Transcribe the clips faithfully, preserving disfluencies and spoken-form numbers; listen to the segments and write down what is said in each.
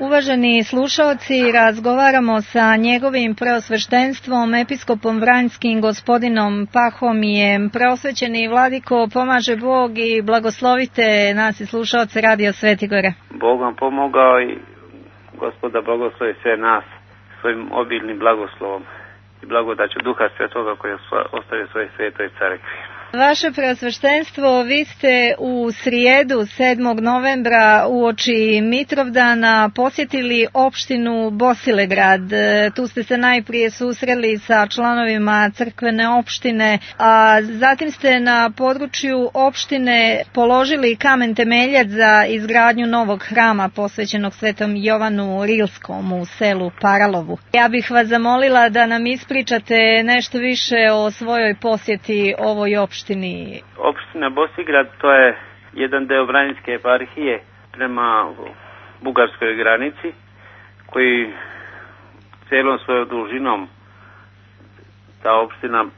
Uvaženi slušaoci, razgovaramo sa njegovim preosveštenstvom, episkopom Vranjskim, gospodinom Pahomijem. Preosvećeni vladiko, pomaže Bog i blagoslovite nas i slušaoce Radio Svetigore. Bog vam pomogao i Gospoda blagoslovi sve nas svojim obilnim blagoslovom i blagodaću Duha Svetoga koji je ostavio svoje svetoj crkvi. Vaše preosveštenstvo, vi ste u srijedu sedmog novembra uoči Mitrovdana posjetili opštinu Bosilegrad. Tu ste se najprije susreli sa članovima crkvene opštine, a zatim ste na području opštine položili kamen temeljac za izgradnju novog hrama posvećenog Svetom Jovanu Rilskom u selu Paralovu. Ja bih vas zamolila da nam ispričate nešto više o svojoj posjeti ovoj opštini. Opština Bosilegrad to je jedan deo Vranjske eparhije prema bugarskoj granici koji celom svojom dužinom ta opština e,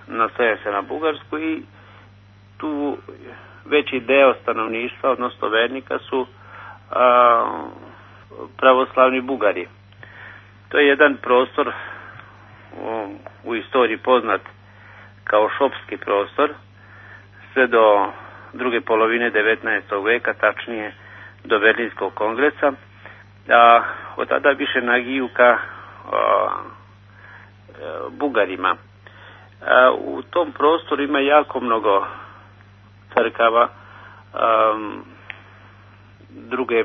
nastaje se na Bugarsku i tu veći deo stanovništva, odnosno vernika su a, pravoslavni Bugari. To je jedan prostor u, u istoriji poznat kao šopski prostor sve do druge polovine devetnaestog veka, tačnije do Berlinskog kongresa, a od tada više nagiju ka a, a, Bugarima. A, u tom prostoru ima jako mnogo crkava a, druge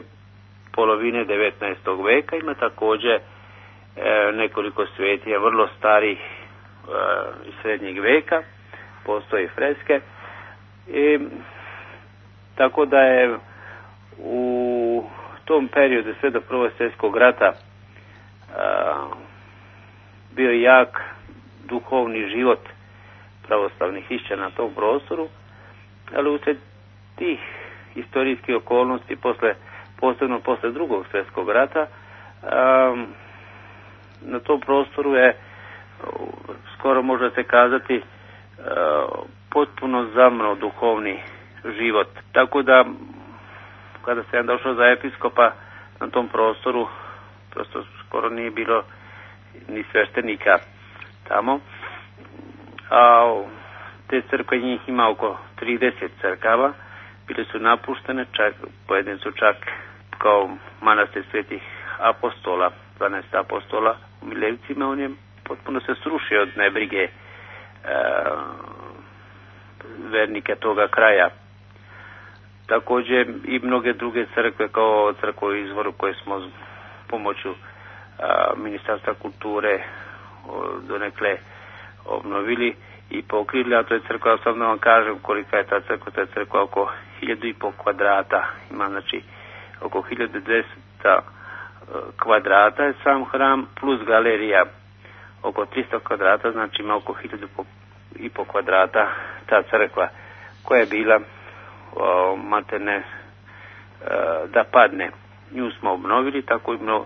polovine devetnaestog veka, ima također a, nekoliko svetija vrlo starih iz srednjeg veka, postoje freske i tako da je u tom periodu sve do Prvog svjetskog rata a, bio jak duhovni život pravoslavnih hrišćana na tom prostoru, ali usred tih istorijskih okolnosti posle, posebno posle Drugog svjetskog rata a, na tom prostoru je skoro može se kazati potpuno zamro duhovni život. Tako da kada sam došao za episkopa na tom prostoru prosto skoro nije bilo ni sveštenika tamo, a te crkve, njih ima oko trideset crkava, bile su napuštene, čak pojedine su čak kao manastir svetih apostola, dvanaest apostola u Milevcima, on je potpuno se srušio od nebrige e, vernika toga kraja. Također i mnoge druge crkve kao crkva u Izvoru koje smo pomoću a, Ministarstva kulture o, donekle obnovili i pokrili, a to je crkva, sam da vam kažem kolika je ta crkva, ta je crkva oko hiljadu i pol kvadrata, ima znači oko hiljadu dvesta kvadrata je sam hram plus galerija oko tristo kvadrata, znači ima oko hiljadu i po kvadrata ta crkva koja je bila o, materne o, da padne. Nju smo obnovili, tako, i mno,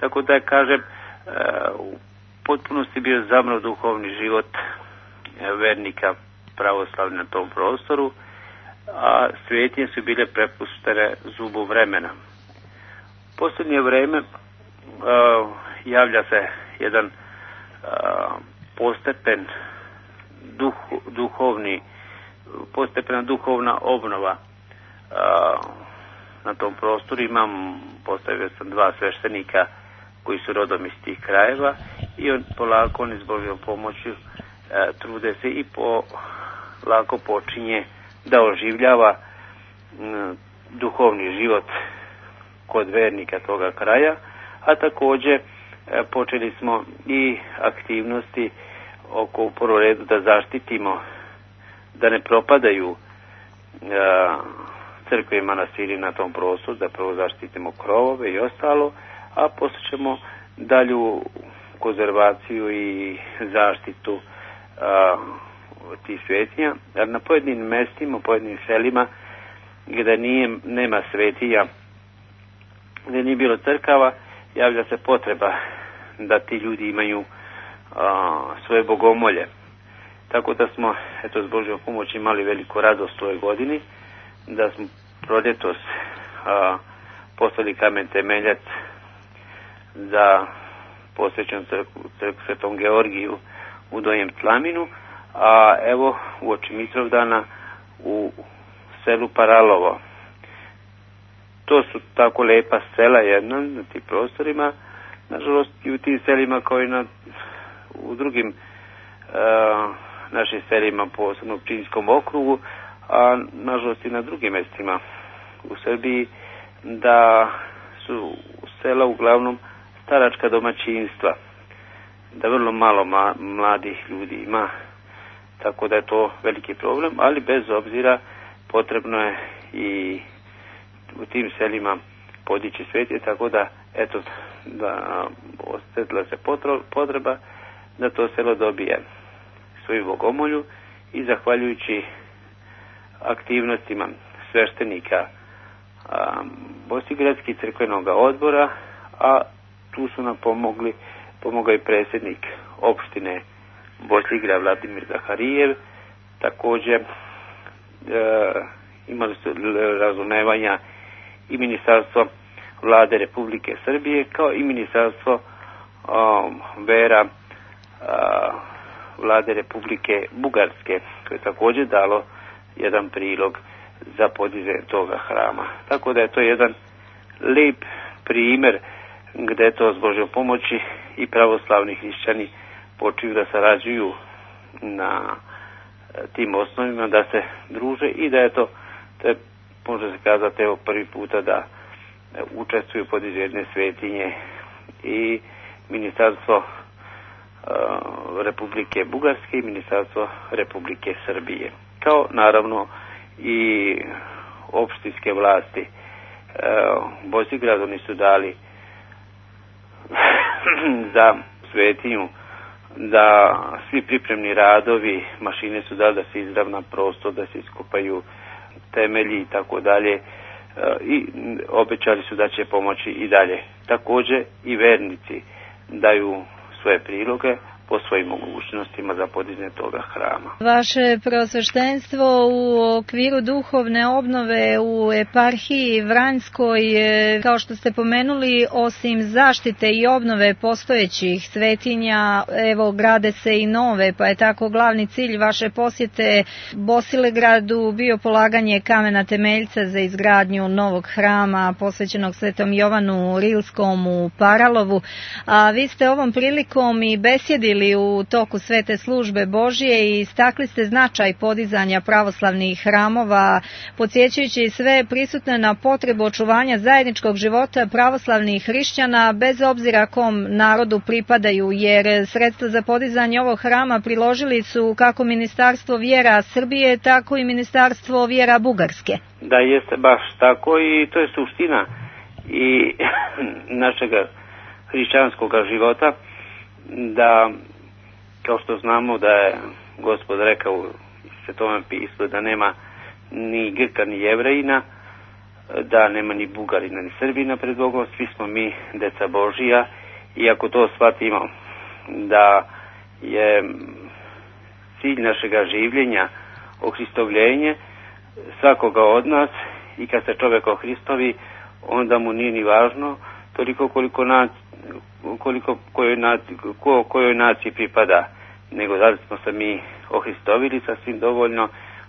tako da je, kažem, o, u potpunosti bio zamro duhovni život o, vernika pravoslavni na tom prostoru, a svetinje su bile prepuštene zubu vremena. U posljednje vreme o, javlja se jedan Uh, postepen duh, duhovni postepena duhovna obnova uh, na tom prostoru. Imam, postavio sam dva sveštenika koji su rodom iz tih krajeva i on polako, on iz Božjom pomoću uh, trude se i polako počinje da oživljava uh, duhovni život kod vernika toga kraja, a također počeli smo i aktivnosti oko u prvom redu da zaštitimo, da ne propadaju a, crkve i manastiri na tom prostoru, da prvo zaštitimo krovove i ostalo, a poslije ćemo dalju konzervaciju i zaštitu a, tih svetinja. Jer na pojedinim mestima, pojedinim selima gdje nije, nema svetinja, gdje nije bilo crkava, javlja se potreba da ti ljudi imaju a, svoje bogomolje. Tako da smo, eto, s Božjom pomoći imali veliku radost u ovoj godini, da smo proljetos a, postavili kamen temeljac za posvećenu crkvu, crkvu Svetom Georgiju u Donjem Tlaminu, a evo uoči Mitrovdana u selu Paralovo. To su tako lepa sela jedna na tim prostorima, nažalost i u tim selima kao i na, u drugim uh, našim selima, posebno u Pčinjskom okrugu, a nažalost i na drugim mjestima u Srbiji, da su sela uglavnom staračka domaćinstva, da vrlo malo ma, mladih ljudi ima, tako da je to veliki problem, ali bez obzira potrebno je i u tim selima podići svetje, tako da eto, da osjetila se potreba da to selo dobije svoju bogomolju i zahvaljujući aktivnostima sveštenika Bosigradskih crkvenog odbora, a tu su nam pomogli, pomogao i predsjednik opštine Bosigrad Vladimir Zaharijev, također e, imali su razumevanja i Ministarstvo Vlade Republike Srbije, kao i Ministarstvo um, vera uh, Vlade Republike Bugarske, koje je također dalo jedan prilog za podizanje toga hrama. Tako da je to jedan lijep primjer gdje to s Božjom pomoći i pravoslavni hrišćani počinju da sarađuju na tim osnovima, da se druže i da je to, te, može se kazati, evo prvi puta da učestvuju podizanju jedne svetinje i Ministarstvo uh, Republike Bugarske i Ministarstvo Republike Srbije, kao naravno i opštinske vlasti. Uh, Bosigrad oni su dali za svetinju da svi pripremni radovi, mašine su dali da se izravna prostor, da se iskopaju temelji i tako dalje, i obećali su da će pomoći i dalje. Također i vernici daju svoje priloge po svojim mogućnostima za podizanje toga hrama. Vaše preosveštenstvo u okviru duhovne obnove u eparhiji Vranjskoj, kao što ste pomenuli, osim zaštite i obnove postojećih svetinja, evo grade se i nove, pa je tako glavni cilj vaše posjete Bosilegradu bio polaganje kamena temeljca za izgradnju novog hrama posvećenog Svetom Jovanu Rilskom u Paralovu, a vi ste ovom prilikom i besjedili u toku svete službe Božje i istakli ste značaj podizanja pravoslavnih hramova, podsjećajući sve prisutne na potrebu očuvanja zajedničkog života pravoslavnih hrišćana bez obzira kom narodu pripadaju, jer sredstva za podizanje ovog hrama priložili su kako Ministarstvo vjera Srbije, tako i Ministarstvo vjera Bugarske. Da, jeste baš tako i to je suština i našega hrišćanskog života, da kao što znamo da je Gospod rekao u Svetome pismu da nema ni Grka ni Jevrejina, da nema ni Bugarina ni Srbina pred Bogom, svi smo mi deca Božija, i ako to shvatimo da je cilj našega življenja ohristovljenje svakoga od nas, i kad se čovjek ohristovi, onda mu nije ni važno toliko koliko nac, koliko kojoj naciji, ko, kojoj naciji pripada, nego da smo se mi ohristovili sasvim dovoljno,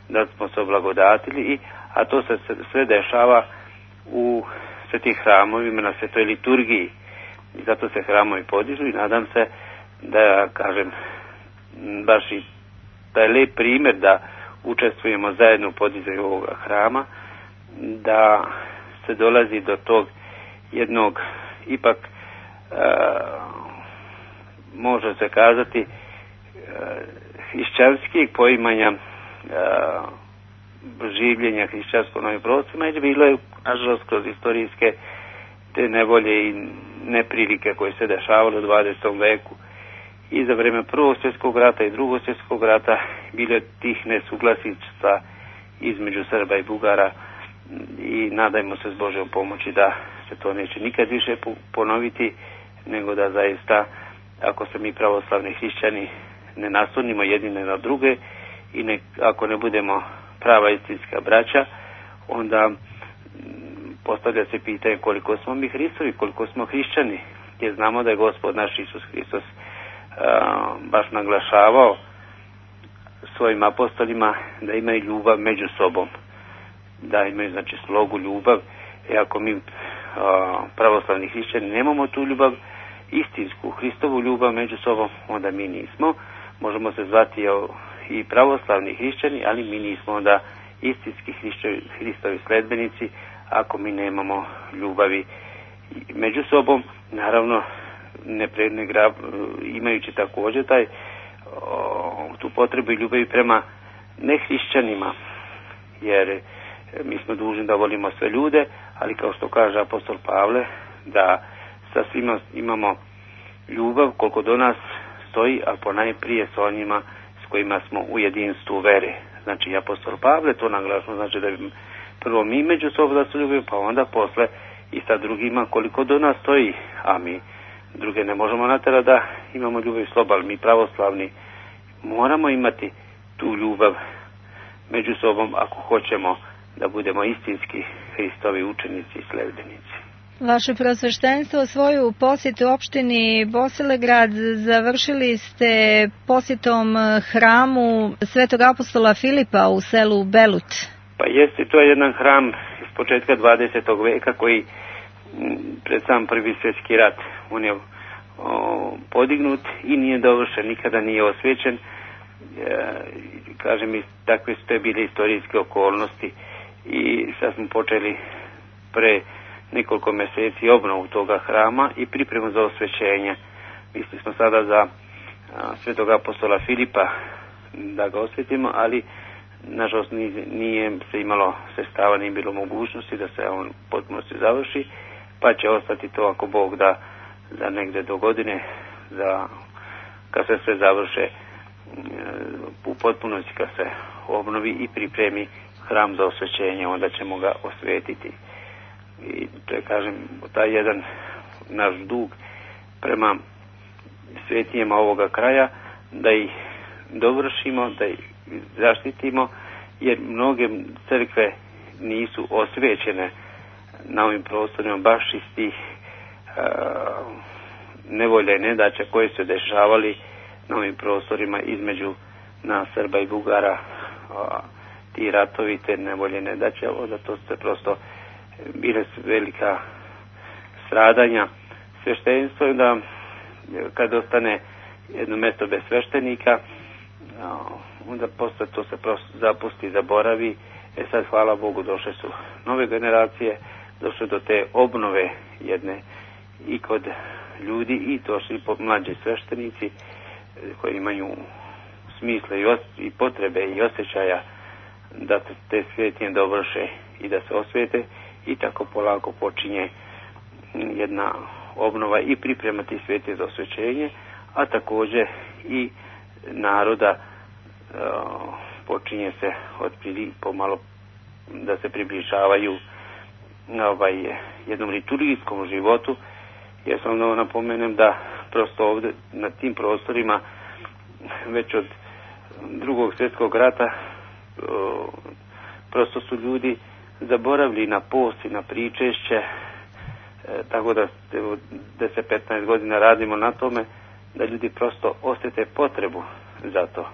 da smo se oblagodatili, i, a to se sve dešava u svetih hramovima, na svetoj liturgiji, i zato se hramovi podižu, i nadam se da, kažem, baš i taj lep primjer da učestvujemo zajedno u podizanju ovoga hrama, da se dolazi do tog jednog ipak Uh, može se kazati uh, hrišćanskih poimanja uh, življenja hrišćanskog novim prostorima, i bilo je nažalost kroz istorijske te nevolje i neprilike koje se dešavale u dvadesetom veku i za vreme Prvog svjetskog rata i Drugog svjetskog rata, bilo je tih nesuglasica između Srba i Bugara, i nadajmo se s Božjom pomoći da se to neće nikad više ponoviti, nego da zaista, ako se mi pravoslavni hrišćani ne naslonimo jedni na druge i ne, ako ne budemo prava istinska braća, onda postavlja se pitanje koliko smo mi Hristovi, koliko smo hrišćani, jer znamo da je Gospod naš Isus Hristos a, baš naglašavao svojim apostolima da imaju ljubav među sobom, da imaju znači slogu ljubav. I ako mi a, pravoslavni hrišćani nemamo tu ljubav, istinsku Hristovu ljubav među sobom, onda mi nismo. Možemo se zvati i pravoslavni hrišćani, ali mi nismo onda istinski Hristovi sledbenici ako mi nemamo ljubavi među sobom. Naravno, ne pre, ne gra, imajući također taj, o, tu potrebu i ljubavi prema nehrišćanima, jer mi smo dužni da volimo sve ljude, ali kao što kaže apostol Pavle, da sa svima imamo ljubav koliko do nas stoji, a ponajprije s onima s kojima smo u jedinstvu vere. Znači, apostol Pavle to naglašno, znači da prvo mi među sobom da se ljubimo, pa onda posle i sa drugima koliko do nas stoji, a mi druge ne možemo natjerati da imamo ljubav i slobu, ali mi pravoslavni moramo imati tu ljubav među sobom ako hoćemo da budemo istinski Hristovi učenici i sledbenici. Vaše prosveštenstvo svoju posjetu opštini Bosilegrad završili ste posjetom hramu Svetog apostola Filipa u selu Belut. Pa jeste, to je jedan hram iz početka dvadesetog veka koji pred sam prvi svjetski rat on je o, podignut i nije dovršen, nikada nije osvećen. E, kažem mi, takve su te bile istorijske okolnosti i sad smo počeli pre nekoliko mjeseci obnovu toga hrama i pripremu za osvećenje. Mislili smo sada za a, Svetog apostola Filipa da ga osvetimo, ali nažalost nije, nije se imalo sredstava, nije bilo mogućnosti da se on potpuno se završi, pa će ostati to ako Bog da za negde do godine, za kad se sve završe u potpunosti, kad se obnovi i pripremi hram za osvećenje, onda ćemo ga osvetiti. I to je, kažem, taj jedan naš dug prema svetijama ovoga kraja, da ih dovršimo, da ih zaštitimo, jer mnoge crkve nisu osvećene na ovim prostorima baš iz tih uh, nevolja i nedaća koje su dešavali na ovim prostorima između nas Srba i Bugara, uh, ti ratovi, te nevolje i nedaće, onda to se prosto bile velika stradanja. Sveštenstvo je da kad ostane jedno mjesto bez sveštenika, onda posle to se prosto zapusti, zaboravi. E sad, hvala Bogu, došle su nove generacije, došle do te obnove jedne i kod ljudi i došli po mlađi sveštenici koji imaju smisla i, os- i potrebe i osjećaja da te svetije dovrše i da se osvete. I tako polako počinje jedna obnova i pripremati svete za osvećenje, a također i naroda uh, počinje se otprili pomalo da se približavaju ovaj, jednom liturgijskom životu. Ja sam da napomenem da prosto ovdje na tim prostorima već od drugog svjetskog rata uh, prosto su ljudi zaboravili na post i na pričešće, e, tako da deset do petnaest godina radimo na tome da ljudi prosto osjete potrebu za to.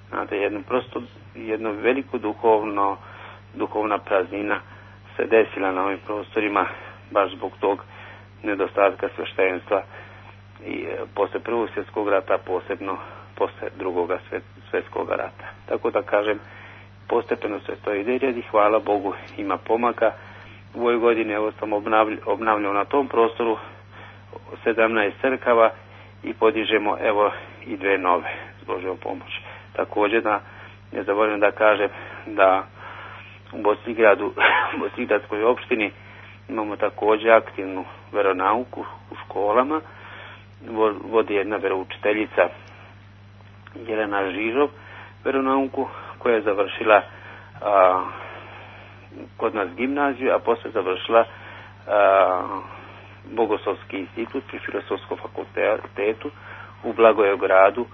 Znate, jednu prosto, jednu veliku duhovno, duhovna praznina se desila na ovim prostorima baš zbog tog nedostatka sveštenstva i e, posle prvog svjetskog rata, posebno posle drugog svjetskog rata. Tako da kažem, postepeno se to ide i hvala Bogu ima pomaka. U ovoj godini evo sam obnavljao na tom prostoru sedamnaest crkava i podižemo evo i dve nove s Božjom pomoći. Također da ne zaboravim da kažem da u Bosilegradu, u Bosilgradskoj opštini imamo također aktivnu veronauku u školama. Vodi jedna veroučiteljica Jelena Žižov veronauku koja je završila a, kod nas gimnaziju, a posle završila a, Bogoslovski institut pri Filozofskom fakultetu u Blagoevgradu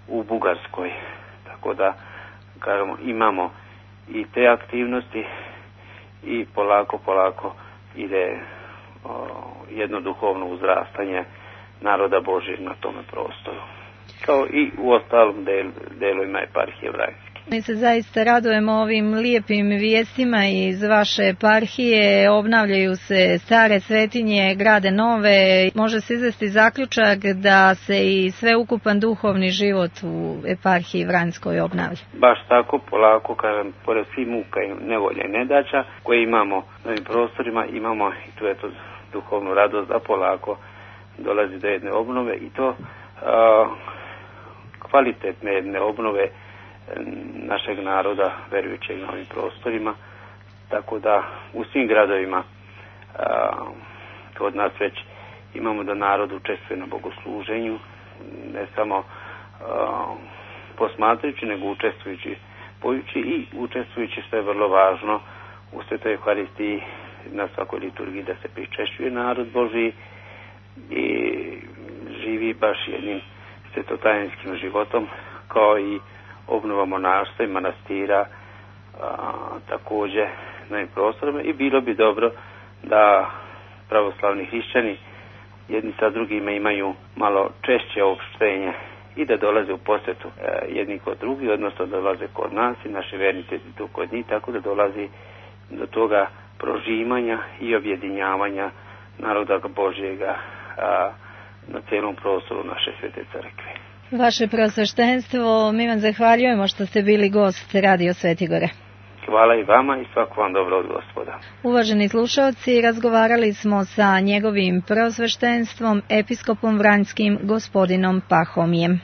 u Bugarskoj. Tako da, kažemo, imamo i te aktivnosti i polako, polako ide o, jedno duhovno uzrastanje naroda Božjeg na tome prostoru, kao i u ostalom del, delovima eparhije Vranjske. Mi se zaista radujemo ovim lijepim vijestima iz vaše eparhije, obnavljaju se stare svetinje, grade nove, može se izvesti zaključak da se i sveukupan duhovni život u eparhiji Vranjskoj obnavlja. Baš tako, polako, kažem, pored svih muka i nevolja i nedaća koje imamo na ovim prostorima, imamo i tu eto duhovnu radost da polako dolazi do jedne obnove i to a, kvalitetne jedne obnove našeg naroda verujućeg na ovim prostorima, tako da u svim gradovima a, kod nas već imamo da narod učestvuje na bogosluženju, ne samo a, posmatrajući, nego učestvujući, pojući i učestvujući, što je vrlo važno, u Svetoj Euharistiji na svakoj liturgiji da se pričešćuje narod Božji i živi baš jednim svetotajinskim životom, kao i obnova monaštva i manastira a, također na ovim prostorima, i bilo bi dobro da pravoslavni hrišćani jedni sa drugima imaju malo češće opštenje i da dolaze u posjetu e, jedni kod drugi, odnosno da dolaze kod nas i naši vernici tu kod njih, tako da dolazi do toga prožimanja i objedinjavanja naroda Božjega a, na cijelom prostoru naše Svete Crkve. Vaše preosveštenstvo, mi vam zahvaljujemo što ste bili gost Radio Svetigore. Hvala i vama i svako vam dobro od Gospoda. Uvaženi slušalci, razgovarali smo sa njegovim preosveštenstvom, episkopom Vranjskim, gospodinom Pahomijem.